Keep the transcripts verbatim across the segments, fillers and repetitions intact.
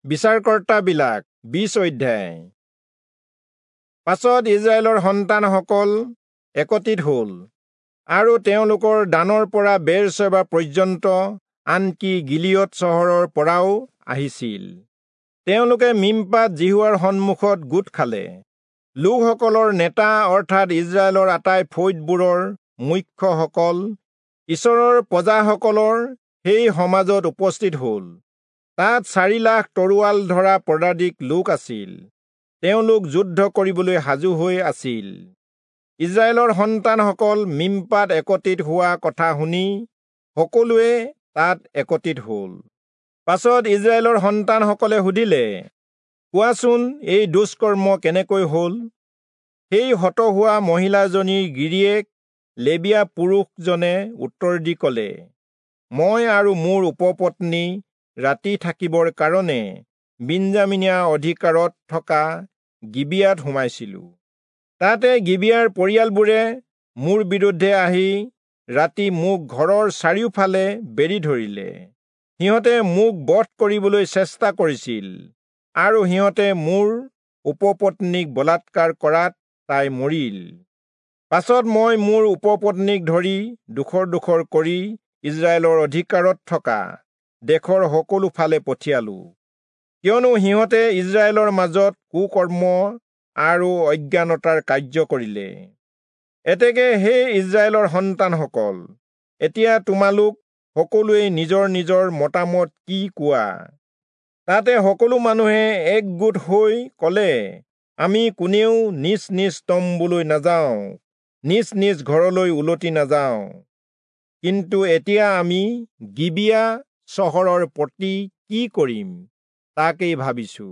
বিচাৰকৰ্তাবিলাক বিশ অধ্যায়। পাছত ইস্ৰায়েলৰ সন্তানসকল একত্ৰিত হ'ল আৰু তেওঁলোকৰ দানৰ পৰা বেৰচেবা পৰ্যন্ত, আনকি গিলিয়দ চহৰৰ পৰাও আহিছিল। তেওঁলোকে মিম্পাত যিহোৱাৰ সন্মুখত গোট খালে। লোকসকলৰ নেতা অৰ্থাৎ ইস্ৰায়েলৰ আটাই ফৈদবোৰৰ মুখ্যসকল ঈশ্বৰৰ প্ৰজাসকলৰ সেই সমাজত উপস্থিত হ'ল। তাত চাৰি লাখ তৰোৱাল ধৰা পদাতিক লোক আছিল। তেওঁলোক যুদ্ধ কৰিবলৈ সাজু হৈ আছিল। ইস্ৰায়েলৰ সন্তানসকল মিম্পাত একত্ৰিত হোৱা কথা শুনি সকলোৱে তাত একত্ৰিত হ'ল। পাছত ইস্ৰায়েলৰ সন্তানসকলে সুধিলে, কোৱাচোন, এই দুষ্কৰ্ম কেনেকৈ হ'ল? সেই হত হোৱা মহিলাজনীৰ গিৰিয়েক লেবীয়া পুৰুষজনে উত্তৰ দি ক'লে, মই আৰু মোৰ উপপত্নী ৰাতি থাকিবৰ কাৰণে বিন্যামীনীয়া অধিকাৰত থকা গিবিয়াত সোমাইছিলো। তাতে গিবিয়াৰ পৰিয়ালবোৰে মোৰ বিৰুদ্ধে আহি ৰাতি মোক ঘৰৰ চাৰিওফালে বেৰি ধৰিলে। সিহঁতে মোক বধ কৰিবলৈ চেষ্টা কৰিছিল আৰু সিহঁতে মোৰ উপপত্নীক বলাৎকাৰ কৰাত তাই মৰিল। পাছত মই মোৰ উপপত্নীক ধৰি ডোখৰ ডোখৰ কৰি ইস্ৰায়েলৰ অধিকাৰত থকা দেশৰ সকলো ফালে পঠিয়ালো, কিয়নো সিহঁতে ইস্ৰায়েলৰ মাজত কুকৰ্ম আৰু অজ্ঞানতাৰ কাৰ্য কৰিলে। এতেকে হে ইস্ৰায়েলৰ সন্তানসকল, এতিয়া তোমালোক সকলোৱে নিজৰ নিজৰ মতামত কি কোৱা? তাতে সকলো মানুহে একগোট হৈ ক'লে, আমি কোনেও নিজ নিজ তম্বুলৈ নাযাওঁ, নিজ নিজ ঘৰলৈ উলটি নাযাওঁ। কিন্তু এতিয়া আমি গিবিয়া চহৰৰ প্ৰতি কি কৰিম তাকেই ভাবিছো।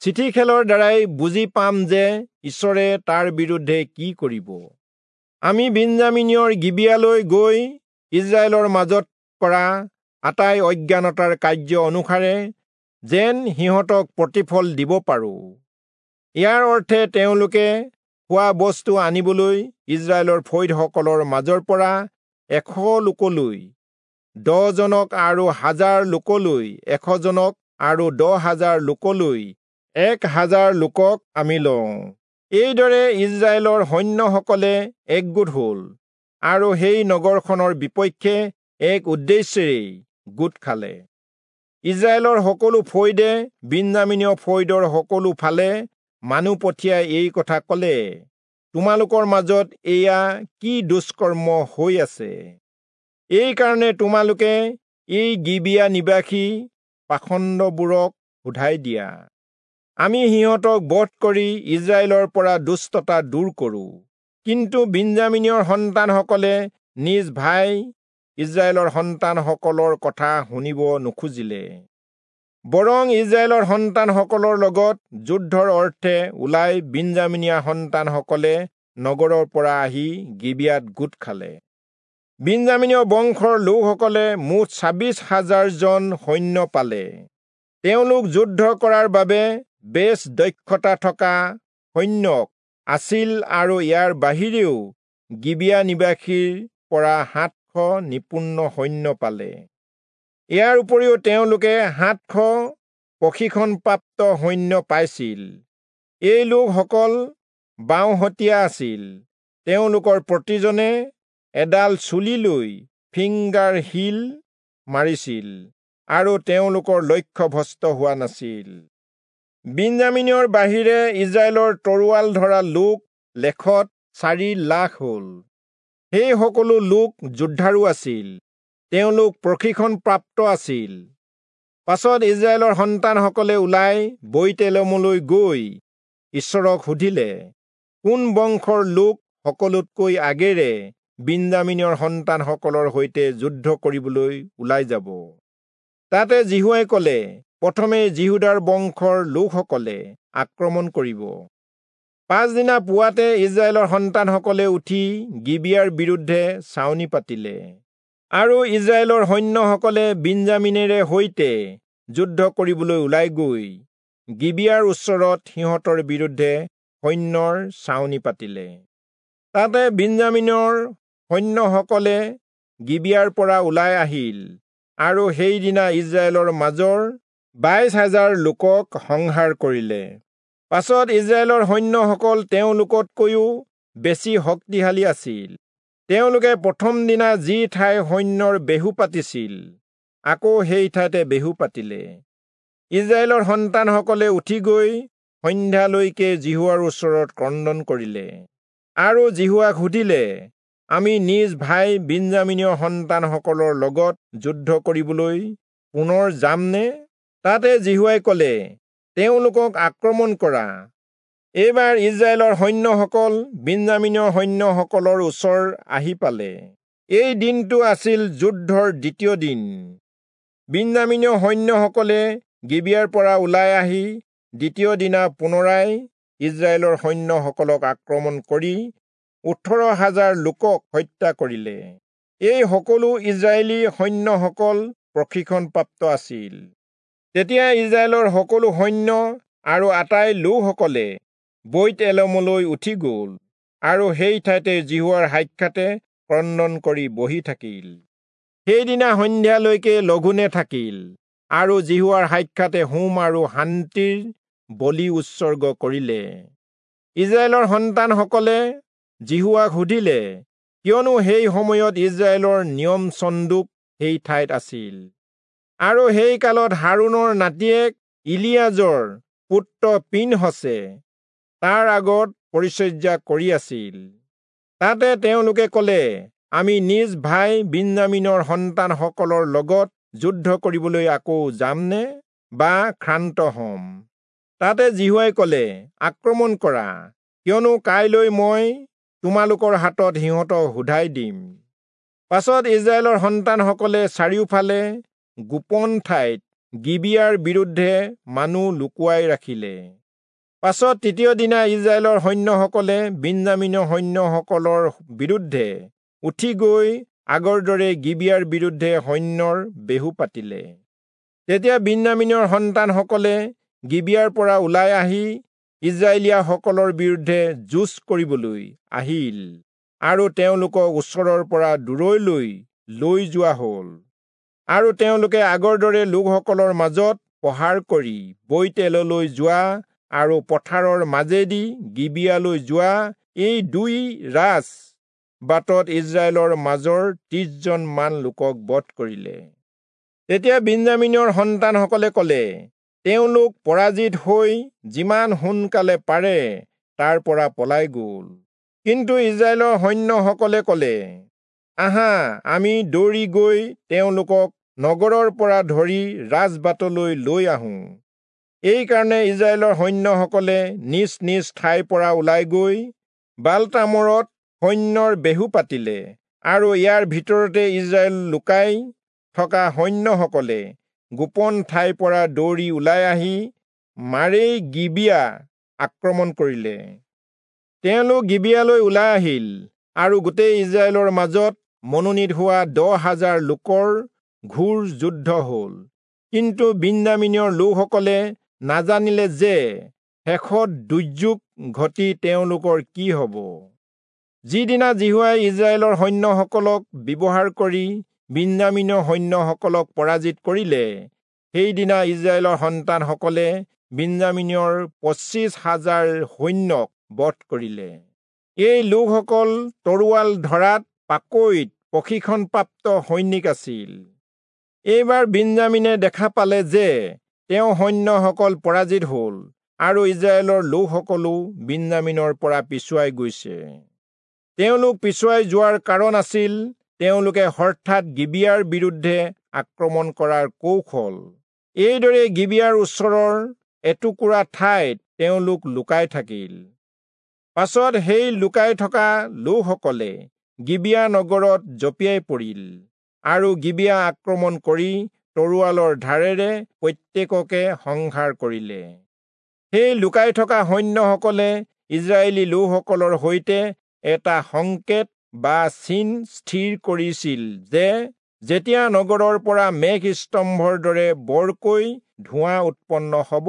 চিঠি খেলৰ দ্বাৰাই বুজি পাম যে ঈশ্বৰে তাৰ বিৰুদ্ধে কি কৰিব। আমি বিন্যামীনীয়ৰ গিবিয়ালৈ গৈ ইস্ৰায়েলৰ মাজত কৰা আটাই অজ্ঞানতাৰ কাৰ্য অনুসাৰে যেন সিহঁতক প্ৰতিফল দিব পাৰোঁ। ইয়াৰ অৰ্থে তেওঁলোকে খোৱা বস্তু আনিবলৈ ইস্ৰায়েলৰ ফৈদসকলৰ মাজৰ পৰা এশ লোকলৈ দহজনক আৰু হাজাৰ লোকলৈ এশজনক আৰু দহ হাজাৰ লোকলৈ এক হাজাৰ লোকক আমি লওঁ। এইদৰে ইস্ৰায়েলৰ সৈন্যসকলে একগোট হ'ল আৰু সেই নগৰখনৰ বিপক্ষে এক উদ্দেশ্যেৰেই গোট খালে। ইস্ৰায়েলৰ সকলো ফৈদে বিন্যামীনীয় ফৈদৰ সকলো ফালে মানুহ পঠিয়াই এই কথা ক'লে, তোমালোকৰ মাজত এয়া কি দুষ্কৰ্ম হৈ আছে? এইকাৰণে তোমালোকে এই গিবিয়া নিবাসী পাষণ্ডবোৰক সোধাই দিয়া। আমি সিহঁতক বধ কৰি ইস্ৰায়েলৰ পৰা দুষ্টতা দূৰ কৰোঁ। কিন্তু বিন্যামীনীয়ৰ সন্তানসকলে নিজ ভাই ইস্ৰায়েলৰ সন্তানসকলৰ কথা শুনিব নোখোজিলে, বৰং ইস্ৰায়েলৰ সন্তানসকলৰ লগত যুদ্ধৰ অৰ্থে ওলাই বিন্যামীনীয়া সন্তানসকলে নগৰৰ পৰা আহি গিবিয়াত গোট খালে। বিন্যামীনীয় বংশৰ লোকসকলে মুঠ ছাব্বিছ হাজাৰজন সৈন্য পালে। তেওঁলোক যুদ্ধ কৰাৰ বাবে বেছ দক্ষতা থকা সৈন্যক আছিল আৰু ইয়াৰ বাহিৰেও গিবিয়া নিবাসীৰ পৰা সাতশ নিপুণ সৈন্য পালে। ইয়াৰ উপৰিও তেওঁলোকে সাতশ প্ৰশিক্ষণপ্ৰাপ্ত সৈন্য পাইছিল। এই লোকসকল বাওঁহতীয়া আছিল। তেওঁলোকৰ প্ৰতিজনে এডাল চুলি লৈ ফিংগাৰ শিল মাৰিছিল আৰু তেওঁলোকৰ লক্ষ্য ভ্ৰষ্ট হোৱা নাছিল। বিন্যামীনীয়ৰ বাহিৰে ইস্ৰায়েলৰ তৰোৱাল ধৰা লোক লেখত চাৰি লাখ হ'ল। সেই সকলো লোক যোদ্ধাৰো আছিল, তেওঁলোক প্ৰশিক্ষণপ্ৰাপ্ত আছিল। পাছত ইস্ৰায়েলৰ সন্তানসকলে ওলাই বৈৎ-এলমলৈ গৈ ঈশ্বৰক সুধিলে, কোন বংশৰ লোক সকলোতকৈ আগেৰে বিন্যামীনীয়ৰ সন্তানসকলৰ সৈতে যুদ্ধ কৰিবলৈ ওলাই যাব? তাতে যিহোৱাই ক'লে, প্ৰথমে যিহূদাৰ বংশৰ লোকসকলে আক্ৰমণ কৰিব। পাছদিনা পুৱাতে ইস্ৰায়েলৰ সন্তানসকলে উঠি গিবিয়াৰ বিৰুদ্ধে ছাউনি পাতিলে আৰু ইস্ৰায়েলৰ সৈন্যসকলে বিন্যামীনেৰে সৈতে যুদ্ধ কৰিবলৈ ওলাই গৈ গিবিয়াৰ ওচৰত সিহঁতৰ বিৰুদ্ধে সৈন্যৰ ছাউনি পাতিলে। তাতে বিন্যামীনৰ সৈন্যসকলে গিবিয়াৰ পৰা ওলাই আহিল আৰু সেইদিনা ইস্ৰায়েলৰ মাজৰ বাইশ হাজাৰ লোকক সংহাৰ কৰিলে। পাছত ইস্ৰায়েলৰ সৈন্যসকল তেওঁলোকতকৈও বেছি শক্তিশালী আছিল। তেওঁলোকে প্ৰথম দিনা যি ঠাই সৈন্যৰ বেহু পাতিছিল, আকৌ সেই ঠাইতে বেহু পাতিলে। ইস্ৰায়েলৰ সন্তানসকলে উঠি গৈ সন্ধ্যালৈকে যিহোৱাৰ ওচৰত ক্ৰন্দন কৰিলে আৰু যিহোৱাক সুধিলে, আমি নিজ ভাই বিন্যামীনীয় সন্তানসকলৰ লগত যুদ্ধ কৰিবলৈ পুনৰ যামনে? তাতে যিহোৱাই কলে, তেওঁলোকক আক্ৰমণ কৰা। এইবাৰ ইস্ৰায়েলৰ সৈন্যসকল বিন্যামীনীয় সৈন্যসকলৰ ওচৰ আহি পালে। এই দিনটো আছিল যুদ্ধৰ দ্বিতীয় দিন। বিন্যামীনীয় সৈন্যসকলে গিবিয়াৰ পৰা ওলাই আহি দ্বিতীয় দিনা পুনৰাই ইস্ৰায়েলৰ সৈন্যসকলক আক্ৰমণ কৰি ওঠৰ হাজাৰ লোকক হত্যা কৰিলে। এই সকলো ইস্ৰায়েলী সৈন্যসকল প্ৰশিক্ষণপ্ৰাপ্ত আছিল। তেতিয়া ইস্ৰায়েলৰ সকলো সৈন্য আৰু আটাই লোকসকলে বৈৎ এলমলৈ উঠি গ'ল আৰু সেই ঠাইতে যিহোৱাৰ সাক্ষাতে ক্ৰন্দন কৰি বহি থাকিল। সেইদিনা সন্ধ্যালৈকে লঘোণে থাকিল আৰু যিহোৱাৰ সাক্ষাতে হোম আৰু শান্তিৰ বলি উৎসৰ্গ কৰিলে। ইস্ৰায়েলৰ সন্তানসকলে যিহোৱাক সুধিলে, কিয়নো সেই সময়ত ইস্ৰায়েলৰ নিয়ম চন্দুক সেই ঠাইত আছিল। আৰু সেই কালত হাৰোণৰ নাতিয়েক ইলিয়াজৰ পুত্ৰ পিনহচে তাৰ আগত পৰিচৰ্যা কৰি আছিল। তাতে তেওঁলোকে কলে, আমি নিজ ভাই বিন্যামীনৰ সন্তানসকলৰ লগত যুদ্ধ কৰিবলৈ আকৌ যামনে বা ক্ষান্ত হ'ম? তাতে যিহোৱাই কলে, আক্ৰমণ কৰা, কিয়নো কাইলৈ মই তোমালোকৰ হাতত সিহঁতক সোধাই দিম। পাছত ইস্ৰায়েলৰ সন্তানসকলে চাৰিওফালে গোপন ঠাইত গিবিয়াৰ বিৰুদ্ধে মানুহ লুকুৱাই ৰাখিলে। পাছত তৃতীয় দিনা ইস্ৰায়েলৰ সৈন্যসকলে বিন্যামীনৰ সৈন্যসকলৰ বিৰুদ্ধে উঠি গৈ আগৰ দৰে গিবিয়াৰ বিৰুদ্ধে সৈন্যৰ বেহু পাতিলে। তেতিয়া বিন্যামীনৰ সন্তানসকলে গিবিয়াৰ পৰা ওলাই আহি ইস্ৰায়েলীয়াসকলৰ বিৰুদ্ধে যুঁজ কৰিবলৈ আহিল আৰু তেওঁলোকক ওচৰৰ পৰা দূৰলৈ লৈ যোৱা হ'ল। আৰু তেওঁলোকে আগৰ দৰে লোকসকলৰ মাজত প্ৰহাৰ কৰি বৈৎএললৈ যোৱা আৰু পথাৰৰ মাজেদি গিবিয়ালৈ যোৱা এই দুই ৰাজ বাটত ইস্ৰায়েলৰ মাজৰ ত্ৰিশজন মান লোকক বধ কৰিলে। তেতিয়া বিন্যামীনৰ সন্তানসকলে কলে, তেওঁলোক পৰাজিত হৈ যিমান সোনকালে পাৰে তাৰ পৰা পলাই গ'ল। কিন্তু ইস্ৰায়েলৰ সৈন্যসকলে কলে, আহা, আমি দৌৰি গৈ তেওঁলোকক নগৰৰ পৰা ধৰি ৰাজবাটলৈ লৈ আহোঁ। এইকাৰণে ইস্ৰায়েলৰ সৈন্যসকলে নিজ নিজ ঠাইৰ পৰা ওলাই গৈ বালতামৰত সৈন্যৰ বেহু পাতিলে আৰু ইয়াৰ ভিতৰতে ইস্ৰায়েল লুকাই থকা সৈন্যসকলে গোপন ঠাইৰ পৰা দৌৰি ওলাই আহি মাৰেই গিবিয়া আক্ৰমণ কৰিলে। তেওঁলোক গিবিয়ালৈ ওলাই আহিল আৰু গোটেই ইস্ৰায়েলৰ মাজত মনোনীত হোৱা দহ হাজাৰ লোকৰ ঘোৰ যুদ্ধ হ'ল। কিন্তু বিন্যামীনৰ লোকসকলে নাজানিলে যে শেষত দুৰ্যোগ ঘটি তেওঁলোকৰ কি হ'ব। যিদিনা যিহোৱাই ইস্ৰায়েলৰ সৈন্যসকলক ব্যৱহাৰ কৰি বিন্যামীনৰ সৈন্যসকলক পৰাজিত কৰিলে, সেইদিনা ইস্ৰায়েলৰ সন্তানসকলে বিন্যামীনৰ পঁচিছ হাজাৰ সৈন্যক বধ কৰিলে। এই লোকসকল তৰোৱাল ধৰাত পাকৈত প্ৰশিক্ষণপ্ৰাপ্ত সৈনিক আছিল। এইবাৰ বিন্যামীনে দেখা পালে যে তেওঁ সৈন্যসকল পৰাজিত হ'ল আৰু ইস্ৰায়েলৰ লোকসকলো বিন্যামীনৰ পৰা পিছুৱাই গৈছে। তেওঁলোক পিছুৱাই যোৱাৰ কাৰণ আছিল তেওঁলোকে হঠাৎ গিবিয়াৰ বিৰুদ্ধে আক্ৰমণ কৰাৰ কৌশল। এইদৰে গিবিয়াৰ ওচৰৰ এটুকুৰা ঠাইত তেওঁলোক লুকাই থাকিল। পাছত সেই লুকাই থকা লোকসকলে গিবিয়া নগৰত জঁপিয়াই পৰিল আৰু গিবিয়া আক্ৰমণ কৰি তৰোৱালৰ ধাৰেৰে প্ৰত্যেককে সংহাৰ কৰিলে। সেই লুকাই থকা সৈন্যসকলে ইস্ৰায়েলী লোকসকলৰ সৈতে এটা সংকেত বা চিন স্থিৰ কৰিছিল যে যেতিয়া নগৰৰ পৰা মেঘ স্তম্ভৰ দৰে বৰকৈ ধোঁৱা উৎপন্ন হ'ব,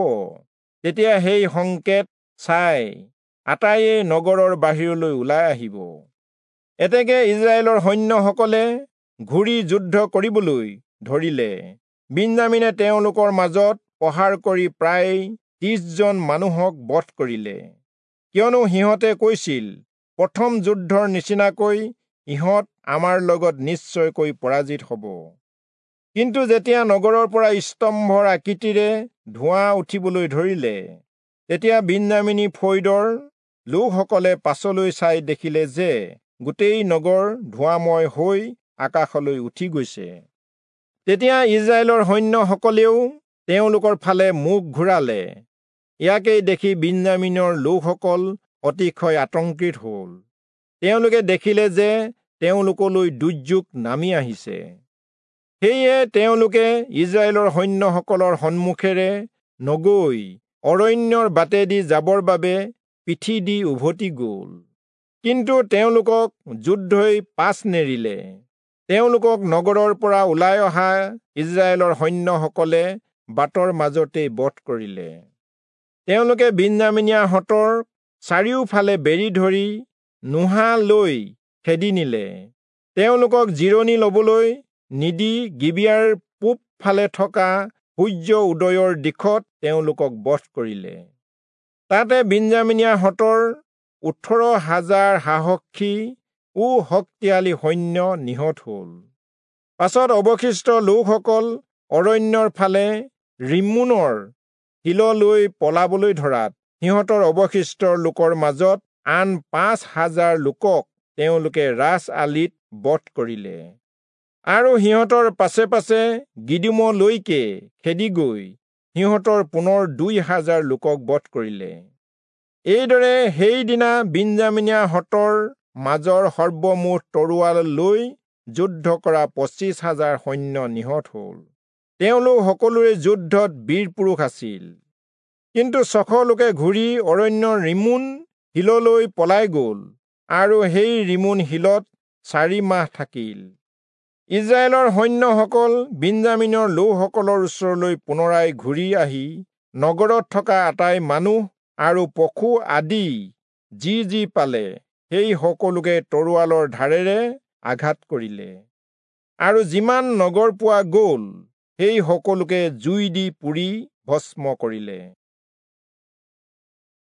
তেতিয়া সেই সংকেত চাই আটাইয়ে নগৰৰ বাহিৰলৈ ওলাই আহিব। এতেকে ইস্ৰায়েলৰ সৈন্যসকলে ঘূৰি যুদ্ধ কৰিবলৈ ধৰিলে। বিন্যামীনে তেওঁলোকৰ মাজত প্ৰহাৰ কৰি প্ৰায় ত্ৰিশজন মানুহক বধ কৰিলে, কিয়নো সিহঁতে কৈছিল, প্ৰথম যুদ্ধৰ নিচিনাকৈ ইহঁত আমাৰ লগত নিশ্চয়কৈ পৰাজিত হ'ব। কিন্তু যেতিয়া নগৰৰ পৰা স্তম্ভৰ আকৃতিৰে ধোঁৱা উঠিবলৈ ধৰিলে, তেতিয়া বিন্যামীনী ফৈদৰ লোকসকলে পাছলৈ চাই দেখিলে যে গোটেই নগৰ ধোঁৱাময় হৈ আকাশলৈ উঠি গৈছে। তেতিয়া ইজৰাইলৰ সৈন্যসকলেও তেওঁলোকৰ ফালে মুখ ঘূৰালে। ইয়াকেই দেখি বিন্যামীনৰ লোকসকল অতিশয় আতংকিত হ'ল। তেওঁলোকে দেখিলে যে তেওঁলোকলৈ দুৰ্যোগ নামি আহিছে। সেয়ে তেওঁলোকে ইজৰাইলৰ সৈন্যসকলৰ সন্মুখেৰে নগৈ অৰণ্যৰ বাটেদি যাবৰ বাবে পিঠি দি উভতি গ'ল। কিন্তু তেওঁলোকক যুদ্ধই পাছ নেৰিলে। তেওঁলোকক নগৰৰ পৰা ওলাই অহা ইজৰাইলৰ সৈন্যসকলে বাটৰ মাজতেই বধ কৰিলে। তেওঁলোকে বিন্যামীনীয়াহঁতৰ চাৰিওফালে বেৰি ধৰি নোহা লৈ খেদি নিলে। তেওঁলোকক জিৰণি লবলৈ নিদি গিবিয়াৰ পূব ফালে থকা সূৰ্য উদয়ৰ দিশত তেওঁলোকক বধ কৰিলে। তাতে বিন্যামীনীয়াহঁতৰ ওঠৰ হাজাৰ সাহসী ও শক্তিশালী সৈন্য নিহত হ'ল। পাছত অৱশিষ্ট লোকসকল অৰণ্যৰ ফালে ৰিম্মোনৰ শিললৈ পলাবলৈ ধৰাত সিহঁতৰ অৱশিষ্ট লোকৰ মাজত আন পাঁচ হাজাৰ লোকক তেওঁলোকে ৰাজ আলিত বধ কৰিলে। আৰু সিহঁতৰ পাছে পাছে গিদোমলৈকে খেদি গৈ সিহঁতৰ পুনৰ দুই হাজাৰ লোকক বধ কৰিলে। এইদৰে সেইদিনা বিন্যামীনীয়াহঁতৰ মাজৰ সৰ্বমুঠ তৰোৱাল লৈ যুদ্ধ কৰা পঁচিছ হাজাৰ সৈন্য নিহত হ'ল। তেওঁলোক সকলোৰে যুদ্ধত বীৰ পুৰুষ আছিল। কিন্তু ছশ লোকে ঘূৰি অৰণ্যৰ ৰিম্মোন শিললৈ পলাই গ'ল আৰু সেই ৰিম্মোন শিলত চাৰি মাহ থাকিল। ইজৰাইলৰ সৈন্যসকল বিন্যামীনৰ লোকসকলৰ ওচৰলৈ পুনৰাই ঘূৰি আহি নগৰত থকা আটাই মানুহ আৰু পশু আদি যি যি পালে সেই সকলোকে তৰোৱালৰ ধাৰেৰে আঘাত কৰিলে, আৰু যিমান নগৰ পোৱা গ'ল সেই সকলোকে জুই দি পুৰি ভস্ম কৰিলে।